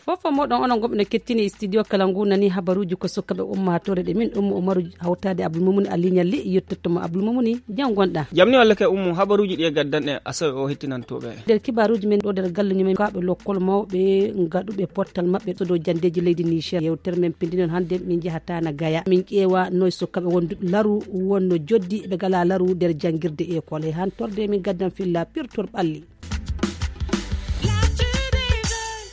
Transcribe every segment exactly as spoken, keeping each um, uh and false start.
Fof fof moɗon onon goɓe no kettini e studio kala ngu nani habaruji ko sukkaɓe ummatore ɗe min ummu umaru hawtade abdoulmoumouni alignalli yettottoma abdoulmoumouni jam gonɗa. Jamni walla kay ummu habaruji ɗi e gaddanɗe asawe o hettinantoɓe. Nder kibaruji men ɗo nder galle ñumen kaɓe lokkol mawɓe gaɗuɓe pottal maɓɓe sodo jandeji leydi niger yewtere men pindinon hande min jahatana gaya min ƴeewa noy sukkaɓe wonduɓe laru wonno joddi ɓe gala laru nder jangirde école e hantorde min gaddan filla pirtor ɓalli.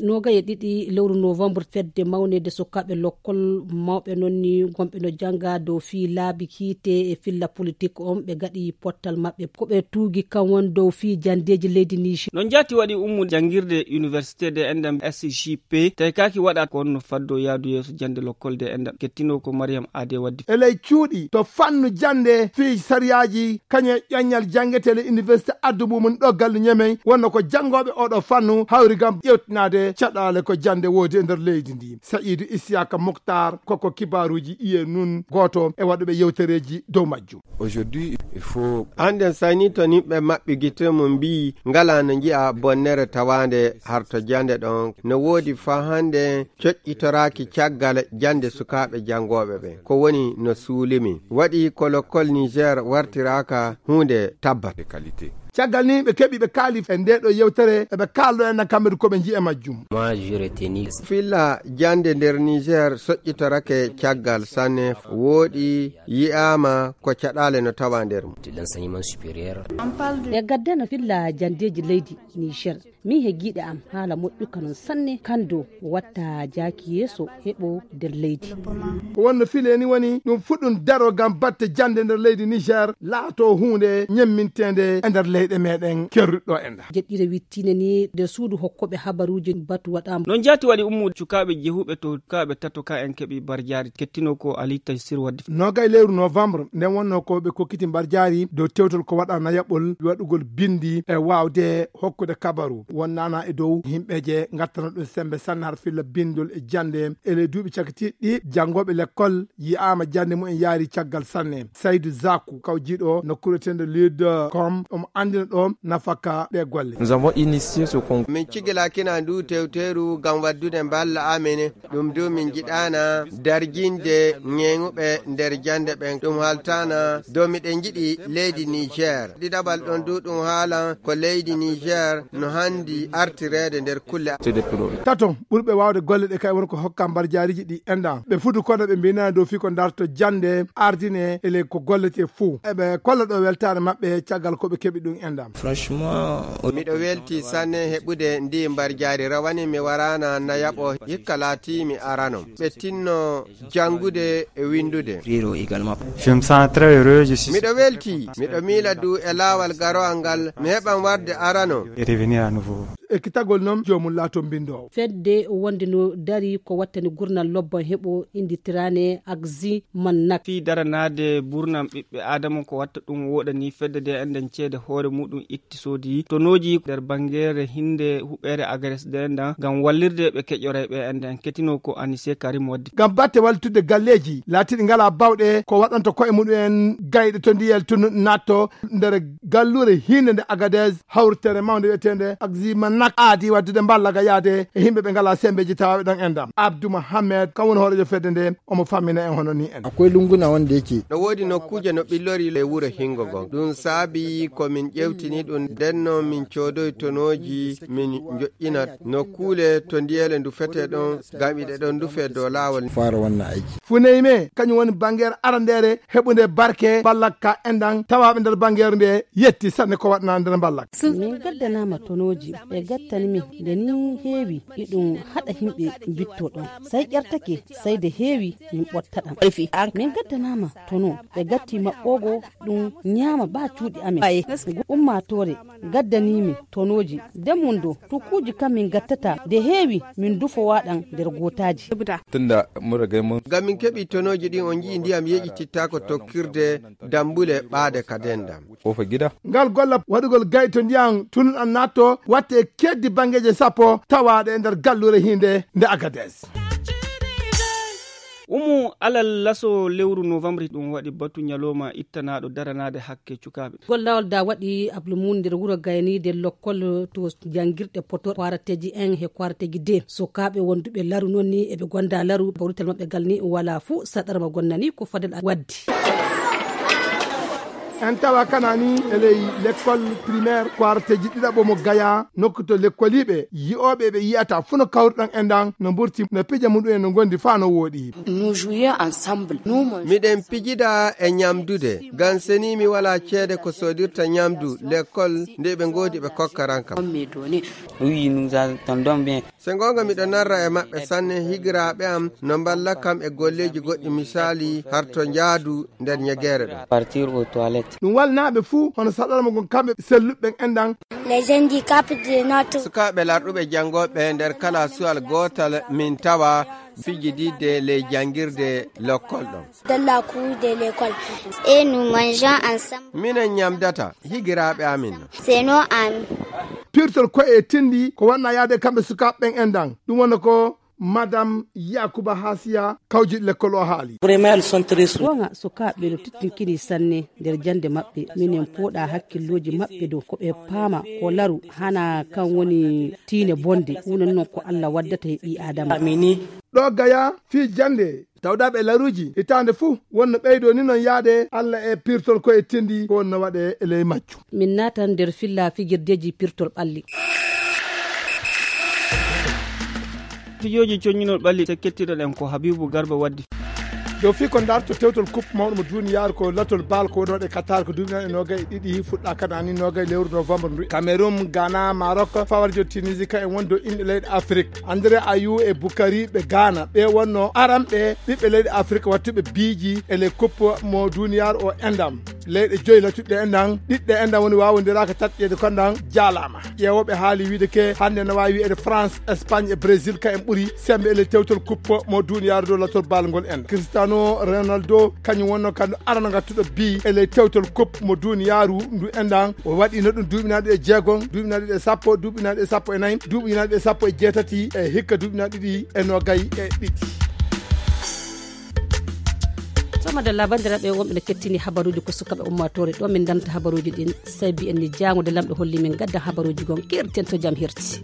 Noga e ɗiɗi lewru novembre fedde mawnede sukkaɓe lokkol mawɓe noon ni gonɓe no janga dow fii laabi kiite e filla politique on ɓe gaɗi pottal maɓɓe ko ɓe tuugi kan won dow fii jandeji leydi niger. Noon jaati waɗi ummu jangirde université de endam sgp tawi kaaki waɗa ko wonno faddo yaadu yeeso jande lokkol de endam kettino ko mariam ade waddi. E ley cuuɗi to fannu jande fii sariyaaji kañum e ƴoññal janngetee le université addu mumum ɗo gallu ñemey wonno ko janngooɓe oɗo fannu hawri gam ƴewtinaade caɗaale ko jannde woodi e nder leydi ndi sayidu isiyaka moktar koko kibaaruuji iye nun gooto e waɗuɓe yewtereeji dow majjum. Aujourd'hui il faut annden sayni to nimɓe maɓɓi gite mum mbiyi ngala no nji'a bonnere tawaande harto jande ɗon no woodi faa hannde coƴƴitoraaki caggal jannde sukaaɓe janngooɓe ɓen. Ko woni no suulimi waɗi ko lokkol niger wartiraaka huunde tabbat. Caggal ni ɓe keɓi ɓe kaali e nde ɗo yewtere eɓe kaaldo en kamɓe ko ɓe njiya majjum. Filla jannde nder niger soƴƴitorake caggal sanne wooɗi yi'aama ko caɗaale no tawa nder mum. E gaddana filla janndeeji leydi niger min he giiɗe am haala moƴƴuka noon sanne kando watta jaaki yeeso heɓo nder leydi. Ko wonno file ni woni ɗum fuɗɗum daro gam batte jannde nder leydi niger laato huunde ñemminteende e nder leyɗe meɗen kerruɗo e nda. Jeɗɗire wittine ni nder suudu hokkoɓe habaruuji batu waɗama. Noon jaati waɗi ummude cukaaɓe jehuɓe to cukaaɓe tato ka en keɓi barjaari kettino ko ali taysir waddi. Nogay lewru novembre nden wonno ko ɓe kokkiti mbarjaari dow tewtol ko waɗa nayaɓol waɗugol bindi e waawde hokkude kabaru wonnana e dow himɓeje gattana ɗum sembe sanne har filla bindol e jannde e ley duuɓi cakitiɗɗi janngooɓe lekkol yi'aama jannde mumen yaari caggal sanne saydu zaku kawjiiɗo nokkuure tende lid com omo anndina ɗo nafaka ɗe golle. Min cigilakina ndu tewteru ngam waddude mballa amen. Ɗum du min njiɗaana darjinde ñeeŋuɓe nder jannde ɓen. Ɗum haaltaana dow miɗen njiɗi leydi Niger. Ɗiɗaɓal ɗon du ɗum haalan ko leydi Niger no hanndi artireede nder kulle. Tato ɓurɓe waawde golle ɗe kay won ko hokka mbarjaariji ɗi enda. Ɓe fudu kono ɓe mbinana dow fii ko darto jannde ardine e ley ko gollete fuu. Eɓe kolla ɗo weltaare maɓɓe caggal ko ɓe keɓi ɗum enda. Miɗo welti sanne heɓude ndi mbarjaari rawani mi waraana nayaɓo hikka laati mi arano. Ɓe tinno janngude e winndude. Miɗo welti, miɗo miila du e laawal garowal ngal mi heɓan warde arano. E kitagol noon joomum laato mbinndoowo. Fedde wonde no dari ko wattani gurnal lobban heɓo innditiraane agzi mannak. Fii daranaade burnam ɓiɓɓe aadama ko watta ɗum woɗani fedde nde enden ceede hoore muɗum itti soodi tonooji nder bangeere hinnde huɓeere agares nde endan ngam wallirde ɓe keƴoray ɓe enden ketino ko anise karim waddi. Ngam batte wallitudde galleeji laatiiɗi ngalaa bawɗe ko waɗanta koye muɗum en gayɗe to ndiyel tunu natto nder galluure hiinde nde agades hawritere mawnde wiyeteende agzima nak aadi waddude mballa ga yaade e yimɓe ɓe ngalaa sembeeji tawaaɓe ɗon enɗam abdou mohammed kam woni hooreejo fedde nde. Omo fammina en hono ni en. Akwai lunguna wanda yake. No woodi nokkuuje no ɓillori e wuro hingo ngon ɗum saabi ko min ƴewtini ɗum ndenno min coodoy tonooji min njoƴƴina nokkuule to ndiyele ndufete ɗon ngam iɗe ɗon ndufe dow laawol. Fara wannan aiki. Funeyme kañum woni bangeere arandeere heɓunde barke ballakka enɗan tawaaɓe nder bangeere nde yetti sanne ko waɗna nder ballakka. Min gaddanama tonooji ɓe gattani min nde ni heewi iɗum haɗa himɓe mbitto ɗon say ƴartake say de heewi min ɓotta ɗam. Min gaddanama tono ɓe gatti maɓɓogo ɗum ñaama ba cuuɗi amen. Ummatore gaddanimi tonooji nden mum do tukkuuji kam min gattata nde heewi min dufowa ɗam nder gootaaji. Tunda mun riga mun. Ngam min keɓi tonooji ɗin on nji'i ndiyam yeƴitittaako tokkirde dambule ɓaade ka dendam. Kofa gida. Ngal golla waɗugol gayto ndiyam tunun an natto watte e Keddi banngeeje sappo tawaaɗe e nder gallure hinde nde Agades. Umu alal laso lewru novembre, ɗum waɗi batu ñalawma ittanaaɗo daranaade hakke cukaaɓe. Gollawol da waɗi ablu mum nder wuro gayniide lokkol to janngirɗe poto kwarateji en he kwarateji de. Sukaaɓe wonduɓe laru noon ni eɓe gonda laru, bawrital maɓɓe gal ni wala fuu saɗar mo gonnani ko fadel waddi. En tawa kanani e ley lekkol primaire kwarateji ɗiɗaɓo mo Gaya, nokku to lekkoliiɓe yi'ooɓe ɓe yi'ata fuu no kawruɗon e ndan, no mburti, no pija muɗum en no gondi faa no wooɗi. Nous jouions ensemble. Nous mangeons. Miɗen pijida e ñamdude, ngam seni mi wala ceede ko soodirta ñamdu lekkol, nde ɓe ngoodi ɓe kokkaran kam. On me donner. Oui, nous attendons bien. Se goonga, miɗo narra e maɓɓe sanne, higiraaɓe am no mballa kam e golleeji goɗɗi, misaali harto njaadu nder ñegeere ɗo. Partir aux toilettes. Ɗum walnaaɓe fuu hono saɗalma ngon kamɓe selluɓe ɓen enɗan. Les handicapés de notre. Sukaaɓe larɗuɓe janngooɓe nder kala suwal gootal min tawa fijididde ley janngirde lokkol ɗon. Dans la cour de l'école. Et nous mangeons ensemble. Minen ñamdata higiraaɓe amin. C'est nos amis. Pirtol koye e tindi ko wanna yaade kamɓe sukaaɓe ɓen enɗan. Ɗum wona ko Madame Yakuba Hasiya, kawjiɗo lekkol o haali. Vraiment, elles sont très souriantes. Goonga, sukaaɓe no tittinkini sanne nder jannde maɓɓe. Minen pooɗa hakkillooji maɓɓe dow ko ɓe paama ko laru, hana kan woni tiine bonde. Ɗum noon ko Allah waddata e ɓii Aadama. Amini. Ɗo Gaya, fii jannde, tawdaaɓe e laruuji hitaande fuu wonno ɓeydo ni noon yaade Allah e pirtol koye tindi ko wonno waɗe e ley majju. Min naatan nder filla fijirdeeji pirtol ɓalli. Fijooji coññinol ɓalli, te kettiɗon en ko Habibu Garba waddi. Dow fii ko darto tewtol coupe mawɗo mo duniyaaru ko latol bal ko woni waɗe Qatar ko duuɓi nayi e noogay e ɗiɗi fuɗɗa kanani noogay lewru novembre ndu. Cameroun, Ghana, Maroc, fawarjo Tunisie ka en woni dow inɗe leyɗe Afrique. André Ayou e Bukari ɓe Ghana ɓe wonno aranɓe ɓiɓɓe leyɗe Afrique wattuɓe biiji e ley coupe mo duniyaaru o endam. Leyɗe joyi latuɗe e ndan, ɗiɗɗe e ndan woni waawondiraaka tatƴeede ko ndan jaalaama. Ƴeewooɓe haali wiide ke hannde no waawi wiyeede France, Espagne e Brésil ka en ɓuri sembe e ley tewtol coupe mo duniyaaru dow latol bal ngol en. Cristiano Ronaldo kañum wonno kanko arano ngattuɗo bi e ley tewtol coupe mo duniyaaru ndu en ndan. O waɗino ɗum duuɓi nayi ɗiɗi e jeegom, duuɓi nayi ɗiɗi e sappo, duuɓi nayi ɗiɗi e sappo e nayi, duuɓi nayi ɗiɗi e sappo e jeetati e hikka duuɓi nayi ɗiɗi e noogay e ɗiɗi. Somadalla, banndiraaɓe wonɓe no kettini habaruuji ko sukaaɓe ummaatoore ɗo min ndamta habaruuji ɗin. Sabi en ni jaangude lamɗo holli min gadda habaruuji gon keerten to jam herti.